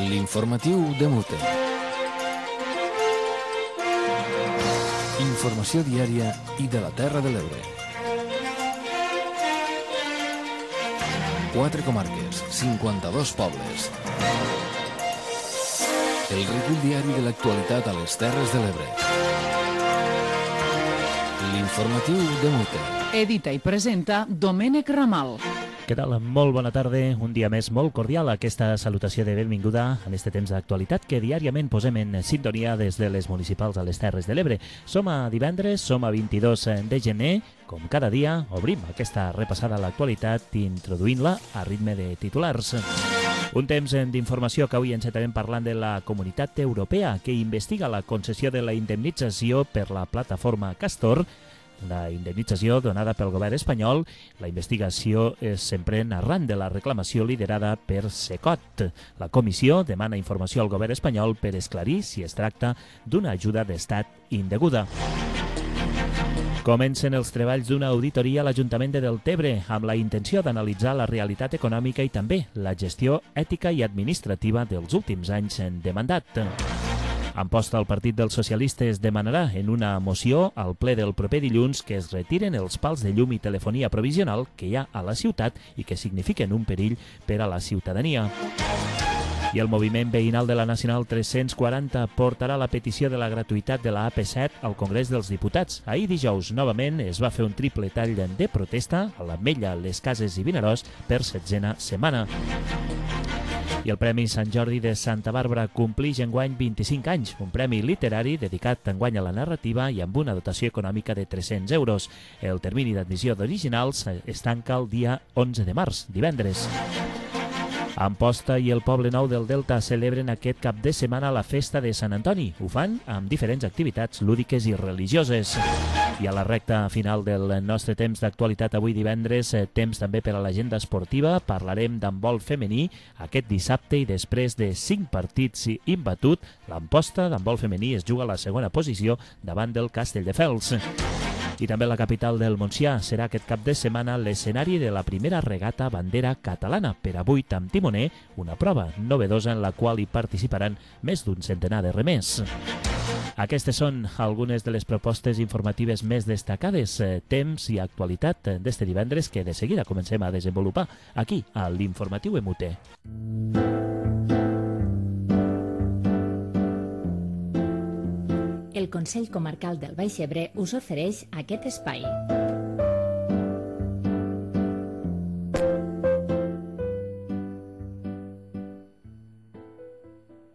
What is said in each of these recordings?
L'informatiu de Mute. Informació diària i de la Terra de l'Ebre. 4 comarques, 52 pobles. El recull diari de l'actualitat a les Terres de l'Ebre. L'informatiu de Mute. Edita i presenta Domènec Ramal. Què tal? Molt bona tarda. Un dia més molt cordial a aquesta salutació de benvinguda en este temps d'actualitat que diàriament posem en sintonia des de les municipals a les Terres de l'Ebre. Som a divendres, som a 22 de gener. Com cada dia, obrim aquesta repassada a l'actualitat introduint-la a ritme de titulars. Un temps d'informació que avui encetarem parlant de la Comunitat Europea que investiga la concessió de la indemnització per la plataforma Castor, una indemnització donada pel govern espanyol. La investigació s'emprèn arran de la reclamació liderada per SECOT. La comissió demana informació al govern espanyol per esclarir si es tracta d'una ajuda d'estat indeguda. Comencen els treballs d'una auditoria a l'Ajuntament de Deltebre amb la intenció d'analitzar la realitat econòmica i també la gestió ètica i administrativa dels últims anys de mandat. En posta, el Partit dels Socialistes demanarà en una moció al ple del proper dilluns que es retiren els pals de llum i telefonia provisional que hi ha a la ciutat i que signifiquen un perill per a la ciutadania. I el moviment veïnal de la Nacional 340 portarà la petició de la gratuïtat de la AP7 al Congrés dels Diputats. Ahir dijous, novament, es va fer un triple tall de protesta a l'Ametlla, les Cases i Vinaròs per 7a setmana. I el Premi Sant Jordi de Santa Bàrbara complix enguany 25 anys, un premi literari dedicat enguany a la narrativa i amb una dotació econòmica de 300 euros. El termini d'admissió d'originals es tanca el dia 11 de març, divendres. Amposta i el Poble Nou del Delta celebren aquest cap de setmana la festa de Sant Antoni. Ho fan amb diferents activitats lúdiques i religioses. I a la recta final del nostre temps d'actualitat avui divendres, temps també per a l'agenda esportiva, parlarem d'handbol femení aquest dissabte i després de 5 partits imbatut, l'Amposta d'handbol femení es juga a la segona posició davant del Castelldefels. I també la capital del Montsià serà aquest cap de setmana l'escenari de la primera regata bandera catalana per a 8 amb timoner, una prova novedosa en la qual hi participaran més d'un centenar de remers. Aquestes són algunes de les propostes informatives més destacades, temps i actualitat d'este divendres que de seguida comencem a desenvolupar aquí a l'Informatiu Emute. El Consell Comarcal del Baix Ebre us ofereix aquest espai.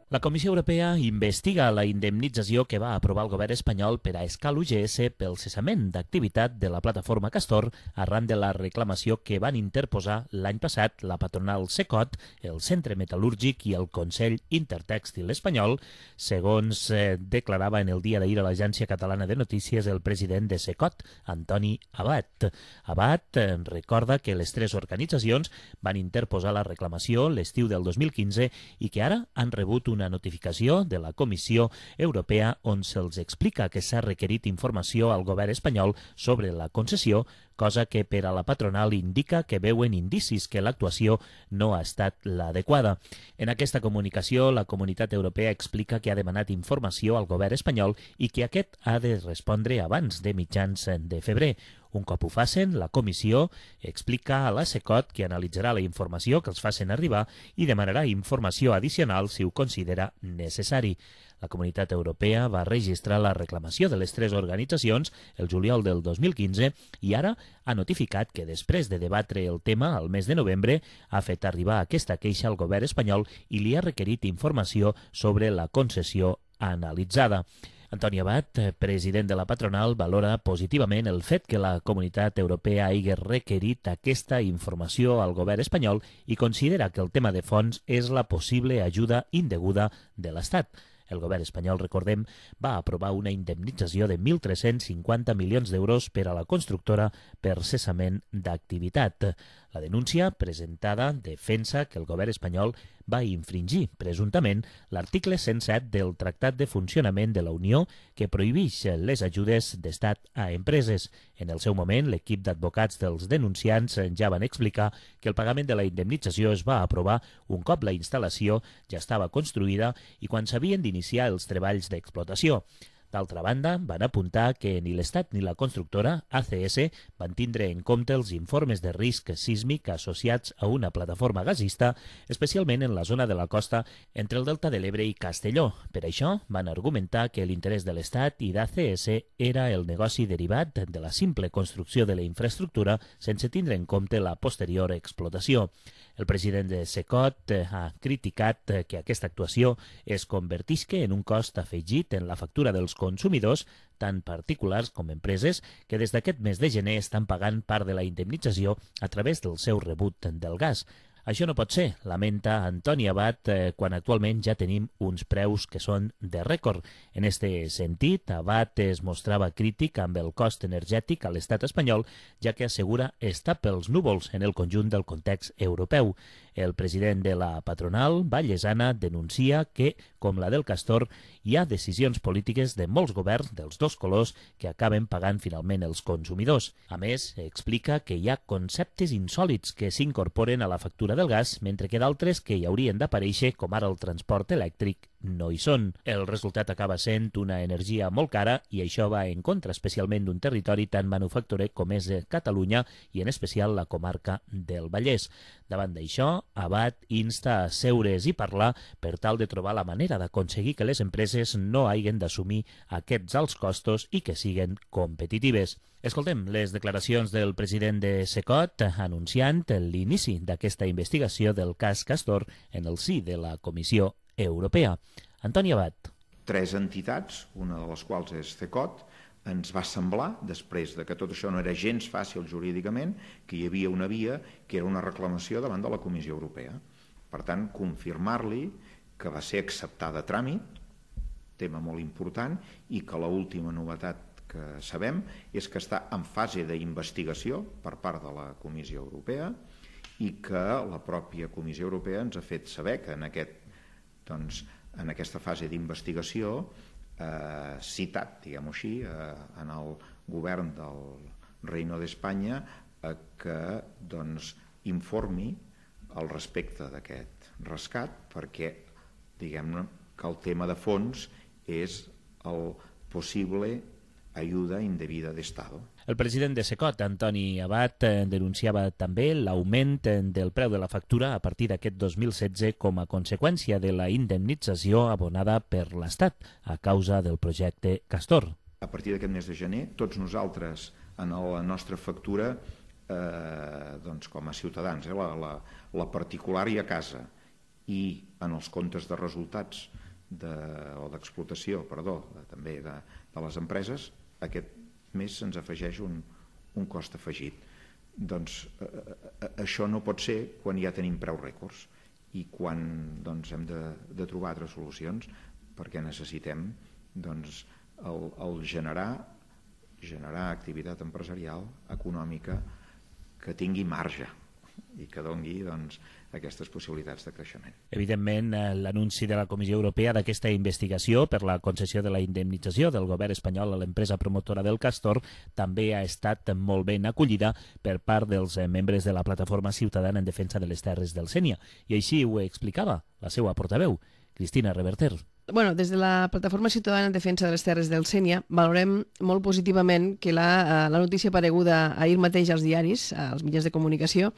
La Comissió Europea investiga la indemnització que va aprovar el govern espanyol per a Escal UGS pel cessament d'activitat de la plataforma Castor arran de la reclamació que van interposar l'any passat la patronal SECOT, el Centre Metal·lúrgic i el Consell Intertèxtil Espanyol, segons declarava en el dia d'ahir a l'Agència Catalana de Notícies el president de SECOT, Antoni Abat. Abat recorda que les 3 organitzacions van interposar la reclamació l'estiu del 2015 i que ara han rebut una notificació de la Comissió Europea on se'ls explica que s'ha requerit informació al govern espanyol sobre la concessió, cosa que per a la patronal indica que veuen indicis que l'actuació no ha estat l'adequada. En aquesta comunicació, la Comunitat Europea explica que ha demanat informació al govern espanyol i que aquest ha de respondre abans de mitjans de febrer. Un cop ho facin, la comissió explica a la SECOT que analitzarà la informació que els facin arribar i demanarà informació addicional si ho considera necessari. La Comunitat Europea va registrar la reclamació de les 3 organitzacions el juliol del 2015 i ara ha notificat que després de debatre el tema al mes de novembre ha fet arribar aquesta queixa al govern espanyol i li ha requerit informació sobre la concessió analitzada. Antoni Abat, president de la patronal, valora positivament el fet que la Comunitat Europea hagi requerit aquesta informació al govern espanyol i considera que el tema de fons és la possible ajuda indeguda de l'Estat. El govern espanyol, recordem, va aprovar una indemnització de 1.350 milions d'euros per a la constructora per cessament d'activitat. La denúncia presentada defensa que el govern espanyol va infringir, presumptament, l'article 107 del Tractat de Funcionament de la Unió que prohibeix les ajudes d'estat a empreses. En el seu moment, l'equip d'advocats dels denunciants ja van explicar que el pagament de la indemnització es va aprovar un cop la instal·lació ja estava construïda i quan s'havien d'iniciar els treballs d'explotació. D'altra banda, van apuntar que ni l'Estat ni la constructora, ACS, van tindre en compte els informes de risc sísmic associats a una plataforma gasista, especialment en la zona de la costa entre el Delta de l'Ebre i Castelló. Per això, van argumentar que l'interès de l'Estat i d'ACS era el negoci derivat de la simple construcció de la infraestructura sense tindre en compte la posterior explotació. El president de SECOT ha criticat que aquesta actuació es convertisca en un cost afegit en la factura dels consumidors, tant particulars com empreses, que des d'aquest mes de gener estan pagant part de la indemnització a través del seu rebut del gas. Això no pot ser, lamenta Antoni Abad, quan actualment ja tenim uns preus que són de rècord. En este sentit, Abad es mostrava crític amb el cost energètic a l'estat espanyol, ja que assegura està pels núvols en el conjunt del context europeu. El president de la patronal, Vallesana, denuncia que, com la del Castor, hi ha decisions polítiques de molts governs dels dos colors que acaben pagant finalment els consumidors. A més, explica que hi ha conceptes insòlits que s'incorporen a la factura del gas, mentre que d'altres que hi haurien d'aparèixer, com ara el transport elèctric, no hi són. El resultat acaba sent una energia molt cara i això va en contra especialment d'un territori tan manufacturer com és Catalunya i en especial la comarca del Vallès. Davant d'això, Abad insta a seure's i parlar per tal de trobar la manera d'aconseguir que les empreses no hagin d'assumir aquests alts costos i que siguen competitives. Escoltem les declaracions del president de SECOT anunciant l'inici d'aquesta investigació del cas Castor en el si de la Comissió Europea. Antoni Abad. 3 entitats, una de les quals és CECOT, ens va semblar, després de que tot això no era gens fàcil jurídicament, que hi havia una via que era una reclamació davant de la Comissió Europea. Per tant, confirmar-li que va ser acceptada a tràmit, tema molt important, i que l'última novetat que sabem és que està en fase d'investigació per part de la Comissió Europea i que la pròpia Comissió Europea ens ha fet saber que en aquesta fase d'investigació citat, diguem-ho així, en el govern del Reino d'Espanya que informi al respecte d'aquest rescat perquè diguem-ne que el tema de fons és el possible ayuda indebida de Estado. El president de SECOT, Antoni Abad, denunciava també l'augment del preu de la factura a partir d'aquest 2016 com a conseqüència de la indemnització abonada per l'Estat a causa del projecte Castor. A partir d'aquest mes de gener, tots nosaltres en la nostra factura, com a ciutadans, la particular i a casa, i en els comptes de resultats o d'explotació, també de les empreses, aquest mes se'ns afegeix un cost afegit. Doncs això no pot ser quan ja tenim preus rècords i quan hem de trobar altres solucions perquè necessitem el generar activitat empresarial, econòmica, que tingui marge i que doni aquestes possibilitats de creixement. Evidentment, l'anunci de la Comissió Europea d'aquesta investigació per la concessió de la indemnització del govern espanyol a l'empresa promotora del Castor també ha estat molt ben acollida per part dels membres de la Plataforma Ciutadana en Defensa de les Terres del Sénia. I així ho explicava la seva portaveu, Cristina Reverter. Des de la Plataforma Ciutadana en Defensa de les Terres del Sénia valorem molt positivament que la notícia apareguda ahir mateix als diaris, als mitjans de comunicació,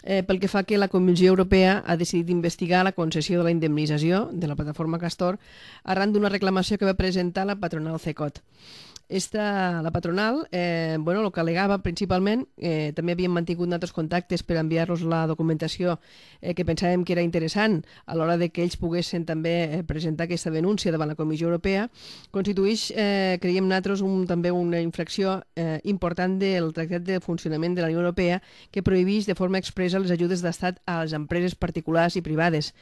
pel que fa que la Comissió Europea ha decidit investigar la concessió de la indemnització de la Plataforma Castor arran d'una reclamació que va presentar la patronal CECOT. La patronal, el que al·legava principalment, també havíem mantingut altres contactes per enviar-los la documentació que pensàvem que era interessant a l'hora de que ells poguessin també presentar aquesta denúncia davant la Comissió Europea, constitueix, creiem nosaltres, també una infracció important del Tractat de Funcionament de la Unió Europea que prohibeix de forma expressa les ajudes d'estat a les empreses particulars i privades.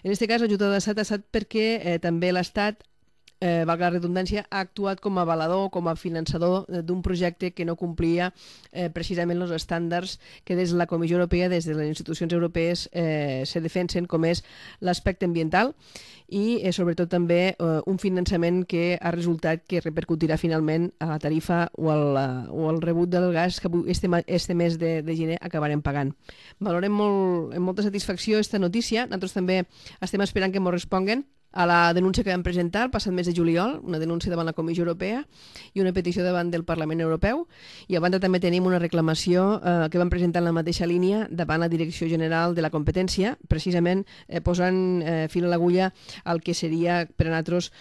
En aquest cas, l'ajuda d'estat ha estat perquè també l'Estat valga la redundància, ha actuat com a avalador, com a finançador d'un projecte que no complia precisament els estàndards que des de la Comissió Europea, des de les institucions europees, se defensen, com és l'aspecte ambiental i sobretot també un finançament que ha resultat que repercutirà finalment a la tarifa o al rebut del gas que este mes de gener acabarem pagant. Valorem amb molta satisfacció aquesta notícia. Nosaltres també estem esperant que ens responguen a la denúncia que vam presentar el passat mes de juliol, una denúncia davant la Comissió Europea i una petició davant del Parlament Europeu, i a banda també tenim una reclamació que vam presentar en la mateixa línia davant la Direcció General de la Competència, precisament posant fil a l'agulla al que seria per a nosaltres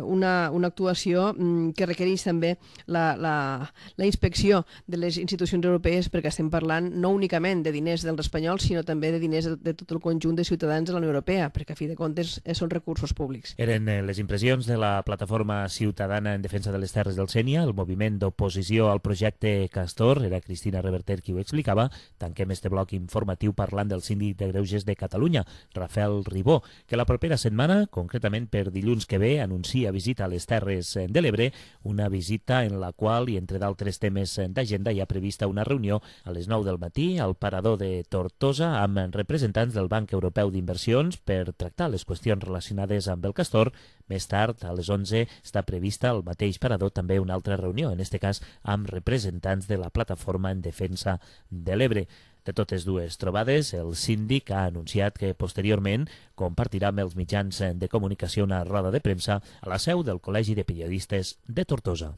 una actuació que requereix també la inspecció de les institucions europees, perquè estem parlant no únicament de diners dels espanyols, sinó també de diners de tot el conjunt de ciutadans de la Unió Europea, perquè a fi de comptes són recursos públics. Eren les impressions de la plataforma ciutadana en defensa de les terres del Sénia, el moviment d'oposició al projecte Castor. Era Cristina Reverter qui ho explicava. Tanquem este bloc informatiu parlant del síndic de Greuges de Catalunya, Rafael Ribó, que la propera setmana, concretament per dilluns que ve, anuncia visita a les Terres de l'Ebre, una visita en la qual, i entre d'altres temes d'agenda, hi ha prevista una reunió a les 9 del matí al parador de Tortosa amb representants del Banc Europeu d'Inversions per tractar les qüestions relacionades amb el Castor. Més tard, a les 11, està prevista al mateix parador també una altra reunió, en aquest cas amb representants de la plataforma en defensa de l'Ebre. De totes dues trobades, el síndic ha anunciat que posteriorment compartirà amb els mitjans de comunicació una roda de premsa a la seu del Col·legi de Periodistes de Tortosa.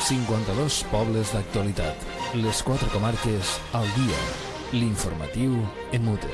52 pobles d'actualitat. Les 4 comarques al dia. L'informatiu en Mute.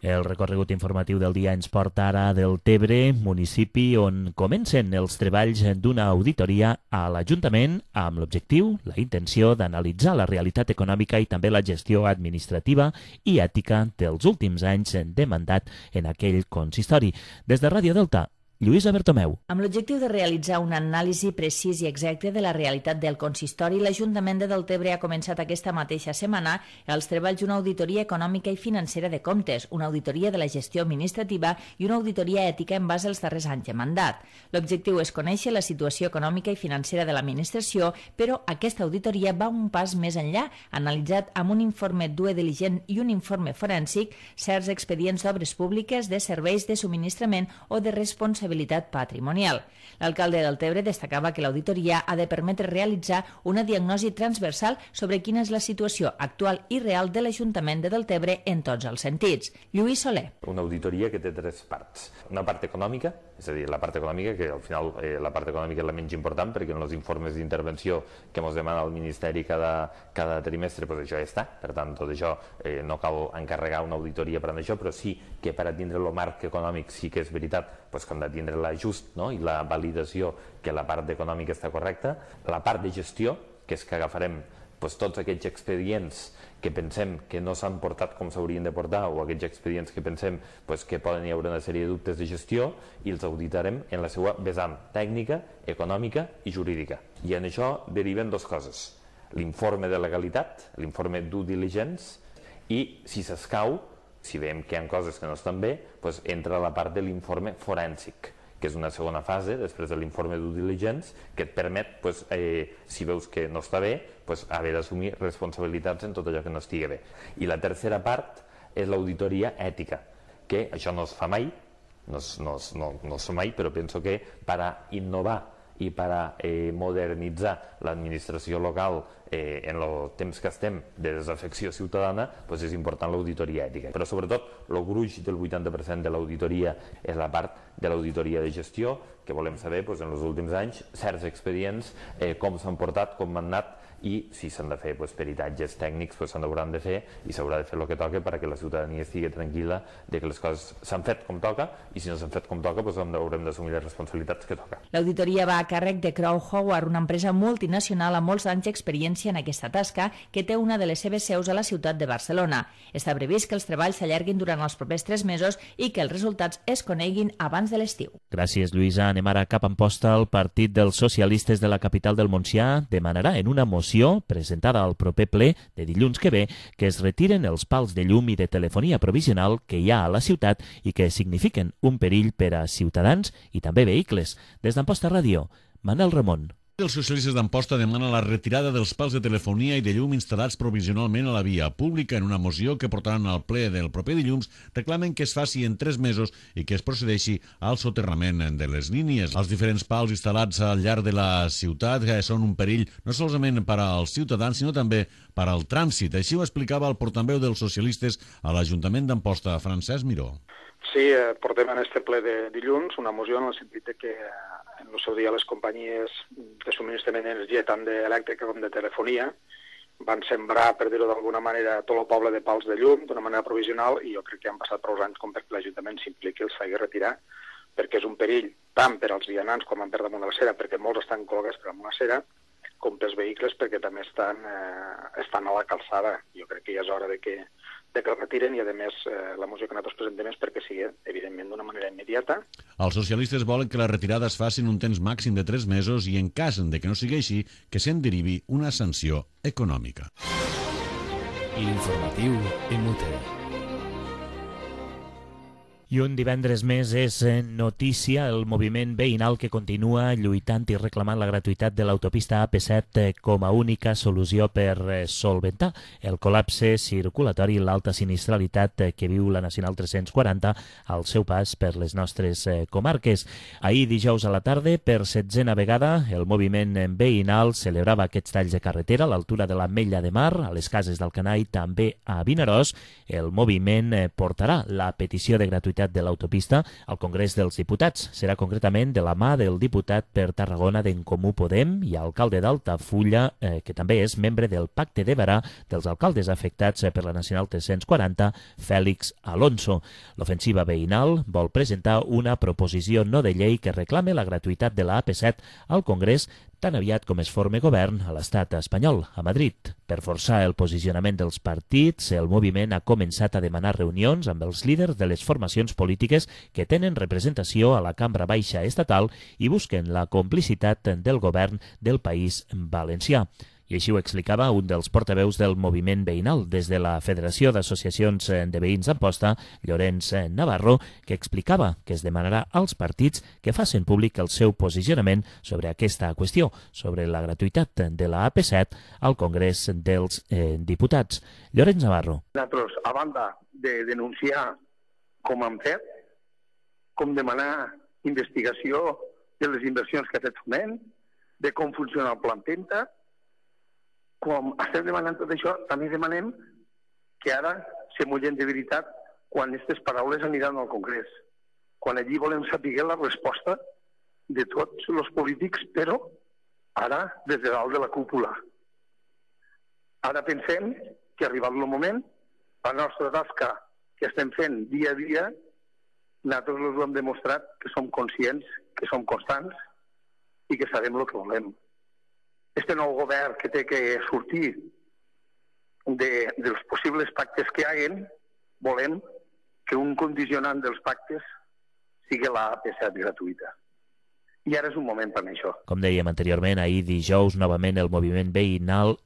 El recorregut informatiu del dia ens porta ara del Tebre, municipi on comencen els treballs d'una auditoria a l'Ajuntament amb l'objectiu, la intenció d'analitzar la realitat econòmica i també la gestió administrativa i ètica dels últims anys de mandat en aquell consistori. Des de Ràdio Delta, Lluïsa Bertomeu. Amb l'objectiu de realitzar una anàlisi precís i exacte de la realitat del consistori, l'Ajuntament de Deltebre ha començat aquesta mateixa setmana els treballs d'una auditoria econòmica i financera de comptes, una auditoria de la gestió administrativa i una auditoria ètica en base als darrers anys de mandat. L'objectiu és conèixer la situació econòmica i financera de l'administració, però aquesta auditoria va un pas més enllà, analitzat amb un informe due diligent i un informe forènsic certs expedients d'obres públiques, de serveis de subministrament o de responsabilitat patrimonial. L'alcalde del Tebre destacava que l'auditoria ha de permetre realitzar una diagnosi transversal sobre quina és la situació actual i real de l'Ajuntament de Deltebre en tots els sentits. Lluís Soler. Una auditoria que té 3 parts. Una part econòmica, és a dir, la part econòmica, que al final la part econòmica és la menys important, perquè en els informes d'intervenció que ens demana el Ministeri cada trimestre, doncs això ja està. Per tant, tot això no cal encarregar una auditoria per a això, però sí que per a tindre el marc econòmic sí que és veritat que hem de tindre l'ajust, no? I la validació que la part econòmica està correcta. La part de gestió, que és que agafarem tots aquests expedients que pensem que no s'han portat com s'haurien de portar o aquests expedients que pensem que poden hi haver una sèrie de dubtes de gestió i els auditarem en la seva vessant tècnica, econòmica i jurídica. I en això deriven 2 coses. L'informe de legalitat, l'informe due diligence, i si s'escau, si veiem que hi ha coses que no estan bé, entra la part de l'informe forènsic, que és una segona fase, després de l'informe due diligence, que et permet, si veus que no està bé, haver d'assumir responsabilitats en tot allò que no estigui bé. I la tercera part és l'auditoria ètica, que això no es fa mai, no es fa mai, però penso que per a innovar i per a modernitzar l'administració local en el temps que estem de desafecció ciutadana, és important l'auditoria ètica. Però sobretot el gruix del 80% de l'auditoria és la part de l'auditoria de gestió, que volem saber en els últims anys certs expedients, com s'han portat, com han anat, i si s'han de fer peritatges tècnics s'hauran de fer i s'haurà de fer el que toca perquè la ciutadania estigui tranquil·la de que les coses s'han fet com toca, i si no s'han fet com toca haurem d'assumir les responsabilitats que toca. L'auditoria va a càrrec de Crowe Howard, una empresa multinacional amb molts anys d'experiència en aquesta tasca, que té una de les seves seus a la ciutat de Barcelona. Està previst que els treballs s'allarguin durant els propers 3 mesos i que els resultats es coneguin abans abans de l'estiu. Gràcies, Lluïsa. Anem ara cap a Amposta. El Partit dels Socialistes de la capital del Montsià demanarà en una moció presentada al proper ple de dilluns que ve que es retiren els pals de llum i de telefonia provisional que hi ha a la ciutat i que signifiquen un perill per a ciutadans i també vehicles. Des d'Amposta Ràdio, Manel Ramon. Els socialistes d'Amposta demanen la retirada dels pals de telefonia i de llum instal·lats provisionalment a la via pública. En una moció que portaran al ple del proper dilluns reclamen que es faci en 3 mesos i que es procedeixi al soterrament de les línies. Els diferents pals instal·lats al llarg de la ciutat són un perill no solament per als ciutadans sinó també per al trànsit. Així ho explicava el portaveu dels socialistes a l'Ajuntament d'Amposta, Francesc Miró. Sí, portem en este ple de dilluns una moció en el sentit que en el seu dia les companyies de subministrament d'energia tant d'elèctrica com de telefonia van sembrar, per dir-ho d'alguna manera, tot el poble de pals de llum d'una manera provisional i jo crec que han passat prou anys com perquè l'Ajuntament s'impliqui i els faci retirar perquè és un perill tant per als vianants com per damunt de la cera perquè molts estan col·locats per damunt la cera com pels vehicles perquè també estan a la calçada. Jo crec que ja és hora de que el retiren i, a més, la moció que nosaltres presentem és perquè sigui, evidentment, d'una manera immediata. Els socialistes volen que la retirada es faci en un temps màxim de 3 mesos i, en cas de que no sigui així, que se'n derivi una sanció econòmica. L'informatiu MUTE. I un divendres més és notícia el moviment veïnal que continua lluitant i reclamant la gratuïtat de l'autopista AP7 com a única solució per solventar el col·lapse circulatori i l'alta sinistralitat que viu la Nacional 340 al seu pas per les nostres comarques. Ahir, dijous a la tarda, per 7a vegada, el moviment veïnal celebrava aquests talls de carretera a l'altura de l'Ametlla de Mar, a les Cases d'Alcanar i també a Vinaròs. El moviment portarà la petició de gratuïtat de l'autopista al Congrés dels Diputats. Serà concretament de la mà del diputat per Tarragona d'En Comú Podem i alcalde d'Altafulla, que també és membre del Pacte de Berà dels alcaldes afectats per la Nacional 340, Fèlix Alonso. L'ofensiva veïnal vol presentar una proposició no de llei que reclame la gratuïtat de la AP7 al Congrés tan aviat com es forme govern a l'estat espanyol, a Madrid. Per forçar el posicionament dels partits, el moviment ha començat a demanar reunions amb els líders de les formacions polítiques que tenen representació a la Cambra Baixa estatal i busquen la complicitat del govern del País Valencià. I així ho explicava un dels portaveus del moviment veïnal des de la Federació d'Associacions de Veïns d'Amposta, Llorenç Navarro, que explicava que es demanarà als partits que facin públic el seu posicionament sobre aquesta qüestió, sobre la gratuïtat de la AP7 al Congrés dels Diputats. Llorenç Navarro. Nosaltres, a banda de denunciar com han fet, com demanar investigació de les inversions que ha fet Foment, de com funciona el Plan Penta, com estem demanant tot això, també demanem que ara se mullen de veritat quan aquestes paraules aniran al Congrés. Quan allí volem saber la resposta de tots els polítics, però ara des de dalt de la cúpula. Ara pensem que ha arribat el moment, la nostra tasca que estem fent dia a dia, nosaltres us ho hem demostrat que som conscients, que som constants i que sabem el que volem. Este nou govern que té que sortir dels possibles pactes que hi haguen, volem que un condicionant dels pactes sigui la AP7 gratuïta. I ara és un moment per això. Com dèiem anteriorment, ahir dijous novament el moviment veïnal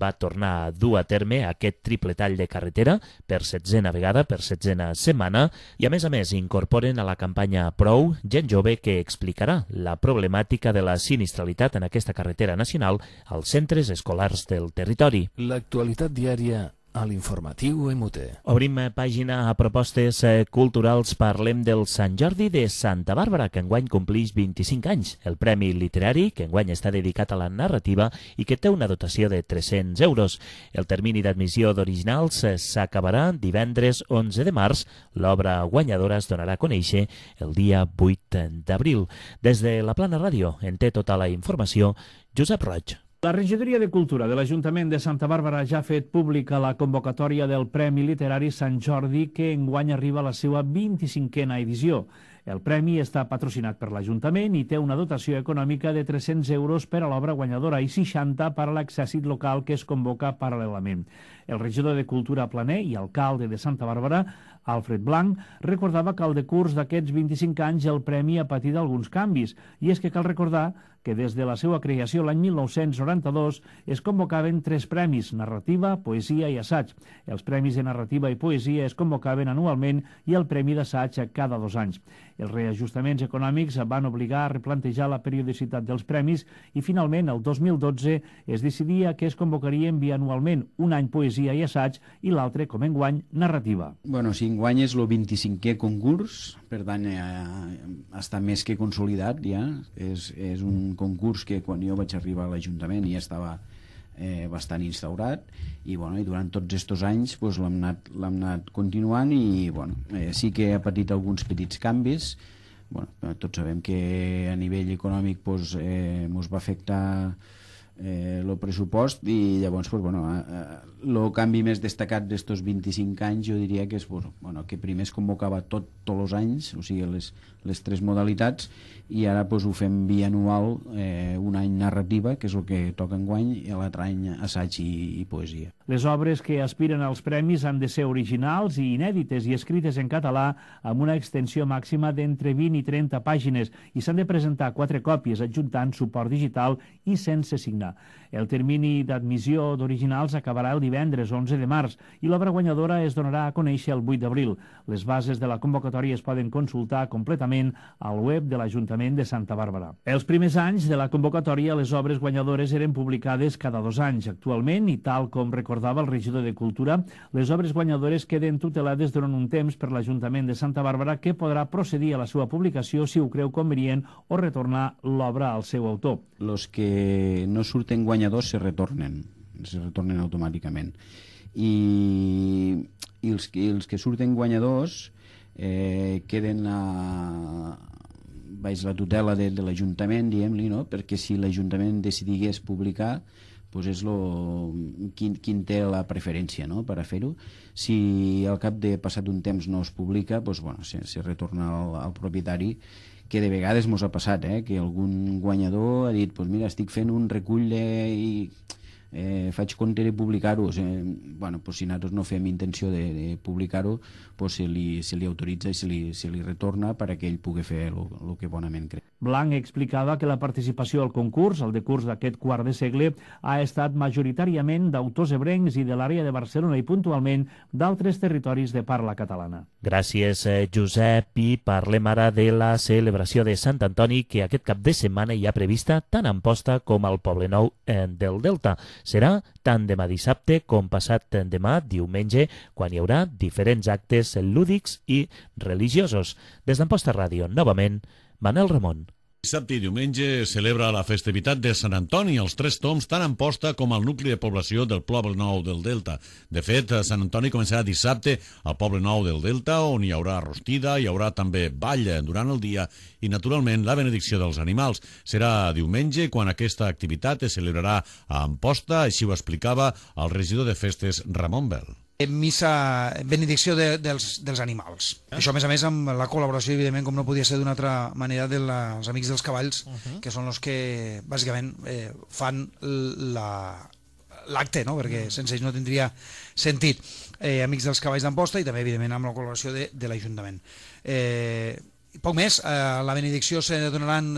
va tornar a dur a terme aquest triple tall de carretera per 7a vegada, per 7a setmana, i a més incorporen a la campanya Prou gent jove que explicarà la problemàtica de la sinistralitat en aquesta carretera nacional als centres escolars del territori. L'actualitat diària a l'informatiu MUTE. Obrim pàgina a propostes culturals. Parlem del Sant Jordi de Santa Bàrbara, que enguany complix 25 anys. El Premi Literari, que enguany està dedicat a la narrativa i que té una dotació de 300 euros. El termini d'admissió d'originals s'acabarà divendres 11 de març. L'obra guanyadora es donarà a conèixer el dia 8 d'abril. Des de la Plana Ràdio en té tota la informació Josep Roig. La Regidoria de Cultura de l'Ajuntament de Santa Bàrbara ja ha fet pública la convocatòria del Premi Literari Sant Jordi, que enguany arriba a la seva 25a edició. El premi està patrocinat per l'Ajuntament i té una dotació econòmica de 300 euros per a l'obra guanyadora i 60 per a l'exèrcit local que es convoca paral·lelament. El regidor de Cultura Planer i alcalde de Santa Bàrbara Alfred Blanc recordava que al decurs d'aquests 25 anys el premi ha patit alguns canvis, i és que cal recordar que des de la seva creació l'any 1992 es convocaven 3 premis, narrativa, poesia i assaig. Els premis de narrativa i poesia es convocaven anualment i el premi d'assaig cada 2 anys. Els reajustaments econòmics van obligar a replantejar la periodicitat dels premis i finalment el 2012 es decidia que es convocarien bianualment, un any poesia i assaig i l'altre, com enguany, narrativa. Bueno, si enguany és el 25è concurs, per tant està més que consolidat ja, és un concurs que quan jo vaig arribar a l'Ajuntament ja estava bastant instaurat i durant tots aquests anys l'hem anat continuant i sí que ha patit alguns petits canvis. Tots sabem que a nivell econòmic ens va afectar el pressupost i llavors el canvi més destacat d'estos 25 anys jo diria que és que primer es convocava tots els anys, o sigui les 3 modalitats, i ara ho fem bianual, un any narrativa, que és el que toca enguany, i l'altre any assaig i poesia. Les obres que aspiren als premis han de ser originals i inèdites i escrites en català amb una extensió màxima d'entre 20 i 30 pàgines i s'han de presentar 4 còpies adjuntant suport digital i sense signar. El termini d'admissió d'originals acabarà el divendres 11 de març i l'obra guanyadora es donarà a conèixer el 8 d'abril. Les bases de la convocatòria es poden consultar completament al web de l'Ajuntament de Santa Bàrbara. Els primers anys de la convocatòria les obres guanyadores eren publicades cada 2 anys. Actualment, i tal com recordava el regidor de Cultura, les obres guanyadores queden tutelades durant un temps per l'Ajuntament de Santa Bàrbara, que podrà procedir a la seva publicació si ho creu convenient o retornar l'obra al seu autor. Els que no surten guanyadors se retornen automàticament. I els que surten guanyadors queden baix la tutela de l'Ajuntament, diguem-li, no? Perquè si l'Ajuntament decidigués publicar, és quin té la preferència, no?, per a fer-ho. Si al cap de passat un temps no es publica, se retorna al propietari, que de vegades mos ha passat, que algun guanyador ha dit mira, estic fent un recull i faig compte de publicar-ho. Si nosaltres no fem intenció de publicar-ho, se li autoritza i se li retorna perquè ell pugui fer el que bonament creu. Blanc explicava que la participació al concurs, al decurs d'aquest quart de segle, ha estat majoritàriament d'autors ebrencs i de l'àrea de Barcelona i puntualment d'altres territoris de parla catalana. Gràcies, Josep, i parlem ara de la celebració de Sant Antoni, que aquest cap de setmana hi ha prevista tant a Amposta com al Poblenou del Delta. Serà tant demà dissabte com passat demà diumenge, quan hi haurà diferents actes lúdics i religiosos. Des d'Amposta Ràdio, novament, Manel Ramon. Dissabte i diumenge celebra la festivitat de Sant Antoni als Tres Tombs, tant a Amposta com al nucli de població del Poblenou del Delta. De fet, Sant Antoni començarà dissabte al Poblenou del Delta, on hi haurà rostida, hi haurà també ball durant el dia i, naturalment, la benedicció dels animals. Serà diumenge quan aquesta activitat es celebrarà a Amposta, així ho explicava el regidor de festes Ramon Bel. Missa, benedicció dels animals. Això, a més, amb la col·laboració, evidentment, com no podia ser d'una altra manera, dels Amics dels Cavalls, que són els que, bàsicament, fan l'acte, no?, perquè sense ells no tindria sentit. Amics dels Cavalls d'Amposta i també, evidentment, amb la col·laboració de l'Ajuntament. Poc més, a la benedicció se donaran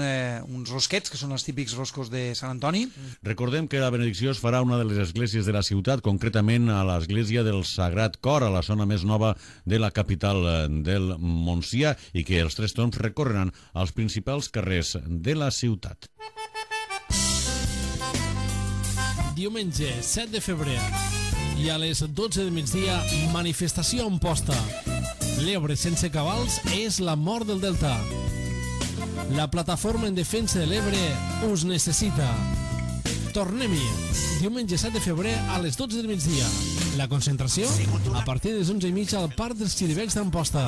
uns rosquets, que són els típics roscos de Sant Antoni. Recordem que la benedicció es farà a una de les esglésies de la ciutat, concretament a l'església del Sagrat Cor, a la zona més nova de la capital del Montsià, i que els Tres Tombs recorreran als principals carrers de la ciutat. Diumenge 7 de febrer i a les 12 del migdia, manifestació a Amposta. L'Ebre sense cabals és la mort del Delta. La plataforma en defensa de l'Ebre us necessita. Tornem-hi. Diumenge 7 de febrer a les 12 del migdia. La concentració a partir de les 11:30 al Parc dels Xiribecs d'Amposta.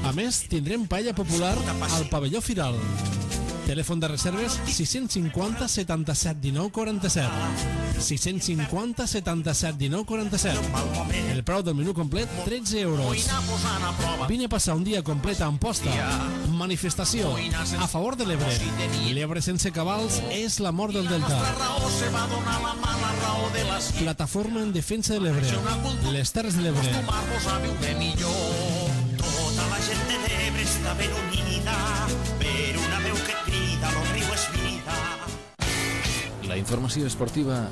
A més, tindrem paella popular al pavelló Firal. Telèfon de reserves 650 77 19 47. 650 77 19 47. El preu del menú complet, 13 euros. Vine a passar un dia complet a Amposta. Manifestació a favor de l'Ebre. L'Ebre sense cabals és la mort del Delta. Plataforma en defensa de l'Ebre. Les Terres de l'Ebre. Tota la gent de l'Ebre està ben unida per una veu que crida, lo riu és vida. La informació esportiva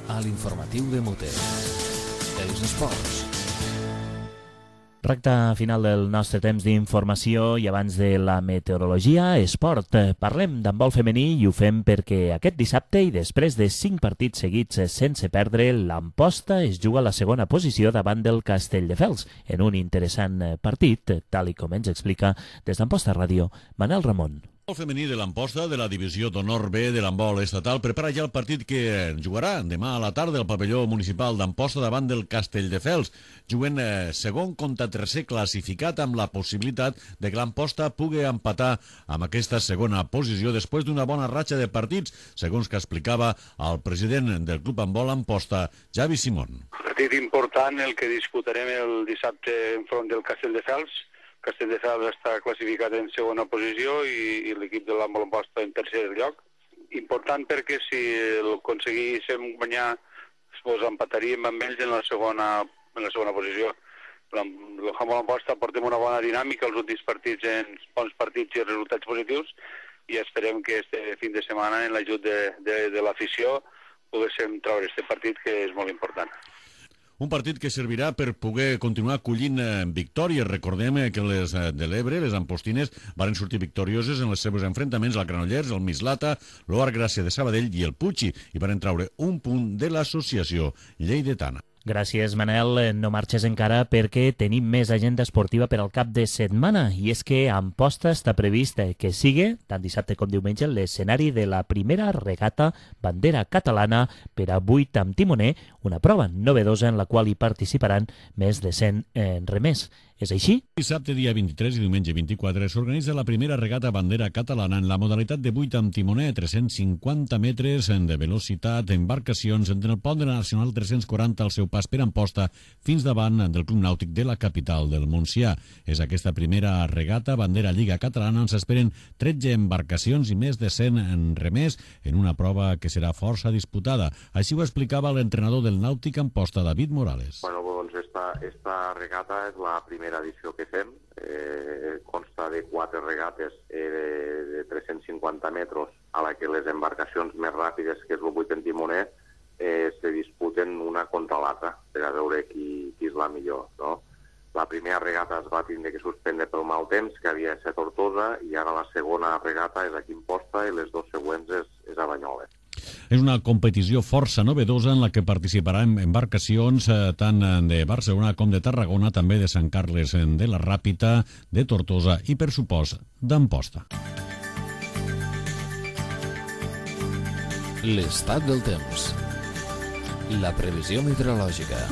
a l'informatiu de Mute. Els esports. Recte final del nostre temps d'informació i abans de la meteorologia, esport. Parlem d'handbol femení i ho fem perquè aquest dissabte i després de 5 partits seguits sense perdre, l'Amposta es juga a la segona posició davant del Castelldefels en un interessant partit, tal i com ens explica des d'Amposta Ràdio, Manel Ramon. El femení de l'Amposta de la Divisió d'Honor B de l'handbol estatal prepara ja el partit que jugarà demà a la tarda al pavelló municipal d'Amposta davant del Castelldefels, jugant segon contra tercer classificat amb la possibilitat de que l'Amposta pugui empatar amb aquesta segona posició després d'una bona ratxa de partits, segons que explicava el president del Club Handbol Amposta, Javi Simón. Partit important el que disputarem el dissabte enfront del Castelldefels. Castelldefels està classificat en segona posició i l'equip de l'handbol Amposta en tercer lloc. Important perquè si aconseguíssim guanyar, doncs empataríem amb ells en la segona posició. L'handbol Amposta portem una bona dinàmica els últims partits en bons partits i resultats positius i esperem que este fin de setmana en l'ajut de l'afició poguéssim treure este partit que és molt important. Un partit que servirà per poder continuar collint victòries. Recordem que les de l'Ebre, les ampostines, varen sortir victorioses en els seus enfrontaments al Granollers, el Mislata, l'Oar Gràcia de Sabadell i el Puig, i varen treure un punt de l'associació lleidatana. Gràcies, Manel. No marxes encara perquè tenim més agenda esportiva per al cap de setmana i és que a Amposta està previst que sigui, tant dissabte com diumenge, l'escenari de la primera regata bandera catalana per a 8 amb timoner, una prova novedosa en la qual hi participaran més de 100 remers. És així? Dissabte, dia 23 i diumenge 24, s'organitza la primera regata bandera catalana en la modalitat de 8 amb timoner, 350 metres de velocitat, embarcacions entre el pont de la Nacional 340 al seu pas per Amposta fins davant del Club Nàutic de la capital del Montsià. És aquesta primera regata bandera Lliga Catalana on s'esperen 13 embarcacions i més de 100 remers en una prova que serà força disputada. Així ho explicava l'entrenador del Nàutic Amposta, David Morales. Bueno, doncs esta regata és la primera edició que fem. Consta de 4 regates de 350 metres a la que les embarcacions més ràpides, que és el 8 en timoner, se disputen una contra l'altra per a veure qui és la millor, no? La primera regata es va tindre que suspendre pel mal temps, que havia de ser Tortosa, i ara la segona regata és aquí a Amposta i les 2 següents és a Banyoles. És una competició força novedosa en la que participaran embarcacions tant de Barcelona com de Tarragona, també de Sant Carles de la Ràpita, de Tortosa i, per supost, d'Amposta. L'estat del temps. La previsió meteorològica.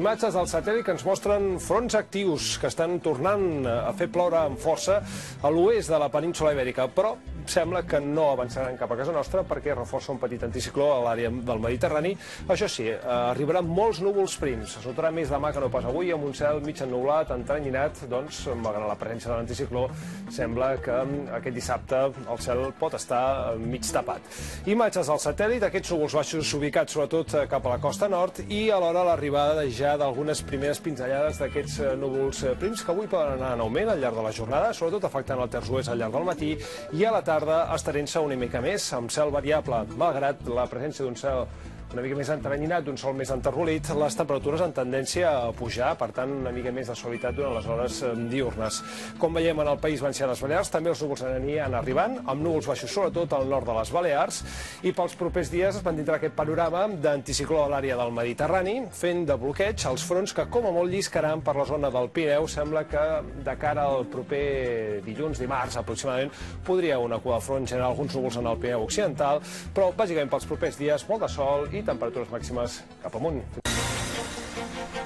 Imatges del satèl·lit que ens mostren fronts actius que estan tornant a fer ploure amb força a l'oest de la península Ibèrica, però sembla que no avançaran cap a casa nostra perquè reforça un petit anticicló a l'àrea del Mediterrani. Això sí, arribaran molts núvols prims. Es notarà més demà que no pas avui, amb un cel mig ennublat, entranyinat, doncs, malgrat la presència de l'anticicló, sembla que aquest dissabte el cel pot estar mig tapat. Imatges del satèl·lit, aquests núvols baixos ubicats sobretot cap a la costa nord i alhora l'arribada ja d'algunes primeres pinzellades d'aquests núvols prims que avui poden anar en augment al llarg de la jornada, sobretot afectant el terç oest al llarg del matí i a la tarda estarent-se una mica més amb cel variable, malgrat la presència d'un cel una mica més entranyinat, d'un sol més enterrolit, les temperatures en tendència a pujar, per tant, una mica més de suavitat durant les hores diurnes. Com veiem en el País Valencià i les Balears, també els núvols aniran arribant, amb núvols baixos sobretot al nord de les Balears, i pels propers dies es mantindrà aquest panorama d'anticicló a l'àrea del Mediterrani, fent de bloqueig als fronts que, com a molt, lliscaran per la zona del Pirineu. Sembla que de cara al proper dilluns, dimarts, aproximadament, podria una cua de front generar alguns núvols en el Pirineu occidental, però, bàsicament, pels propers dies, molt de sol i temperatures màximes cap amunt.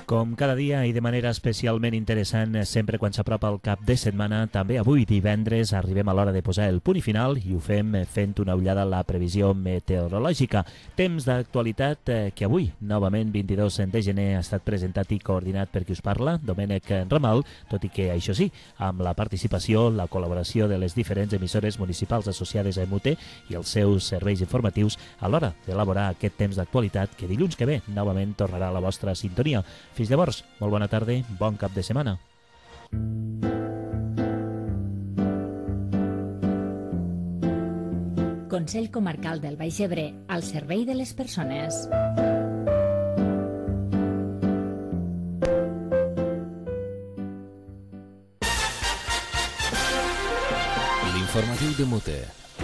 Com cada dia i de manera especialment interessant, sempre quan s'apropa el cap de setmana, també avui divendres arribem a l'hora de posar el punt i final i ho fem fent una ullada a la previsió meteorològica. Temps d'actualitat que avui, novament 22 de gener, ha estat presentat i coordinat per qui us parla, Domènec Ramal, tot i que, això sí, amb la participació, la col·laboració de les diferents emissores municipals associades a MUTE i els seus serveis informatius a l'hora d'elaborar aquest temps d'actualitat que dilluns que ve novament tornarà a la vostra sintonia. Fins llavors, molt bona tarda, bon cap de setmana. Consell Comarcal del Baix Ebre, al servei de les persones. L'informatiu de MUTE,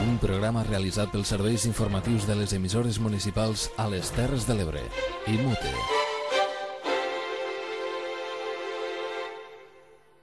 un programa realitzat pels serveis informatius de les emissores municipals a les Terres de l'Ebre i MUTE.